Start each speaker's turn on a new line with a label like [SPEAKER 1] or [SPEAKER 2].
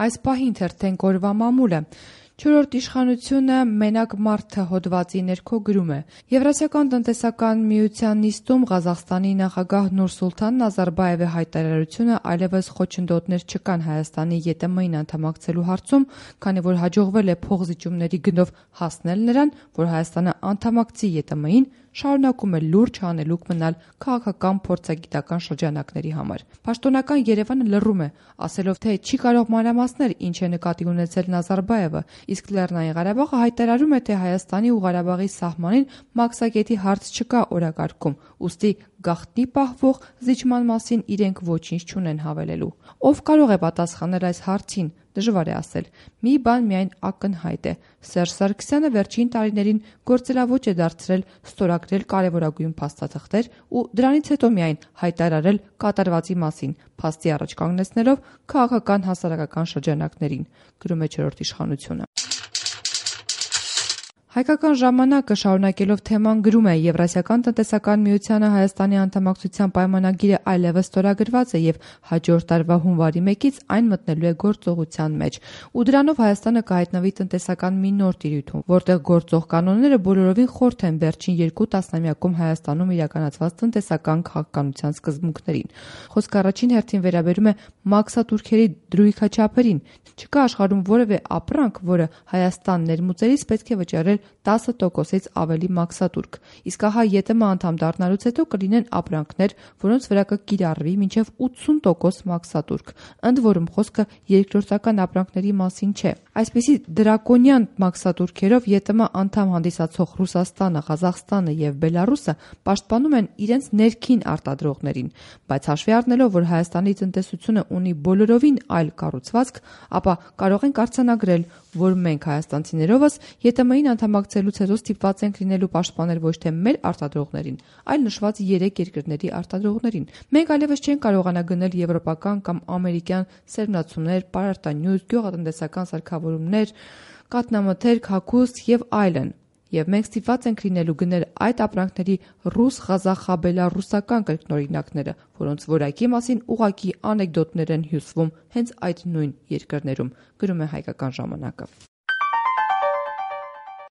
[SPEAKER 1] Այս պահին թերթենք օրվա մամուլը։ Չորրորդ իշխանությունը մենակ մարդը հոդվածի ներքո գրում է. Եվրասիական տնտեսական միության նիստում Ղազախստանի նախագահ Նուրսուլթան Նազարբաևի հայտարարությունը այլևս խոչընդոտներ չկան Հայաստանի ԵՏՄ-ին անդամակցելու հարցում, քանի որ հաջողվել է փոխզիջումների գնով հասնել նրան, որ Հայաստանը անդամակցի ԵՏՄ-ին, շարունակում է լուրջ հանելուկ մնալ քաղաքական փորձագիտական շրջանակների համար։ Պաշտոնական Երևանը լռում է, ասելով, թե չի կարող մանրամասնել ինչ է նկատի ունեցել Նազարբաևը, իսկ Լեռնային Ղարաբաղը հայտարարում է, թե Հայաստանի ու Ղարաբաղի սահմանին մաքսակետի հարց չկա օրակարգում, ուստի գաղտնի պահվող զիջման մասին իրենք ոչինչ չունեն հավելելու։ Ով կարող է պատասխանել այս հարցին, դժվար է ասել։ Մի բան միայն ակնհայտ է. Սերժ Սարգսյանը վերջին տարիներին գործելաոճ է դարձրել ստորագրել կարևորագույն փաստաթղթեր ու դրանից հետո միայն հայտարարել կատարվածի մասին, փաստի առաջ կանգնեցնելով քաղաքական հասարակական շրջանակներին, գրում է Չորրորդ իշխանությունը։ Հայկական ժամանակը շարունակելով թեման գրում է. Եվրասիական տնտեսական միությանը Հայաստանի անդամակցության պայմանագիրը այլևս ստորագրված է եւ հաջորդ տարվա հունվարի 1-ից այն մտնելու է գործողության մեջ, ու դրանով Հայաստանը կհայտնվի տնտեսական մի նոր տիրույթում, որտեղ գործող կանոնները բոլորովին խորթ են վերջին 2 տասնամյակում Հայաստանում իրականացված տնտեսական քաղաքականության սկզբունքներին։ Խոսքը առաջին հերթին վերաբերում է մաքսատուրքերի դրույքաչափերին։ Չկա աշխարհում որևէ ապրանք, որը Հայաստան ներմուծելիս պետք է վճարել 10%-ից ավելի մաքսատուրք, իսկ ահա ԵՏՄ անդամ դառնալուց հետո կլինեն ապրանքներ, որոնց վրա կկիրառվի մինչև 80% մաքսատուրք, ընդ որում խոսքը երկրորդական ապրանքների մասին չէ։ Այսպիսի դրակոնյան մաքսատուրքերով ԵՏՄ անդամ հանդիսացող Ռուսաստանը, Ղազախստանը եւ Բելարուսը պաշտպանում են իրենց ներքին արտադրողներին, բայց հաշվի առնելով, որ Հայաստանի տնտեսությունը ունի բոլորովին այլ կառուցվածք, ապա կարող ենք արձանագրել, որ մենք հայաստանցիներովս ԵՏՄ-ին անդամակցելուց հետո ստիպված ենք լինելու պաշտպանել ոչ թե մեր արտադրողներին, այլ նշված 3 երկրների արտադրողներին։ Մենք այլևս չենք կարողանա գնել եվրոպական կամ ամերիկյան սերմնացումներ, պարարտանյութ, գյուղատնտեսական սարքավորումներ, կաթնամթերք, հագուստ եւ այլն։ Եվ մենք ստիպված ենք լինելու գնել այդ ապրանքների ռուս, ղազախա-բելառուսական կրկնօրինակները, որոնց որակի մասին ուղղակի անեկդոտներ են հյուսվում հենց այդ նույն երկրներում, գրում է Հայկական ժամանակը։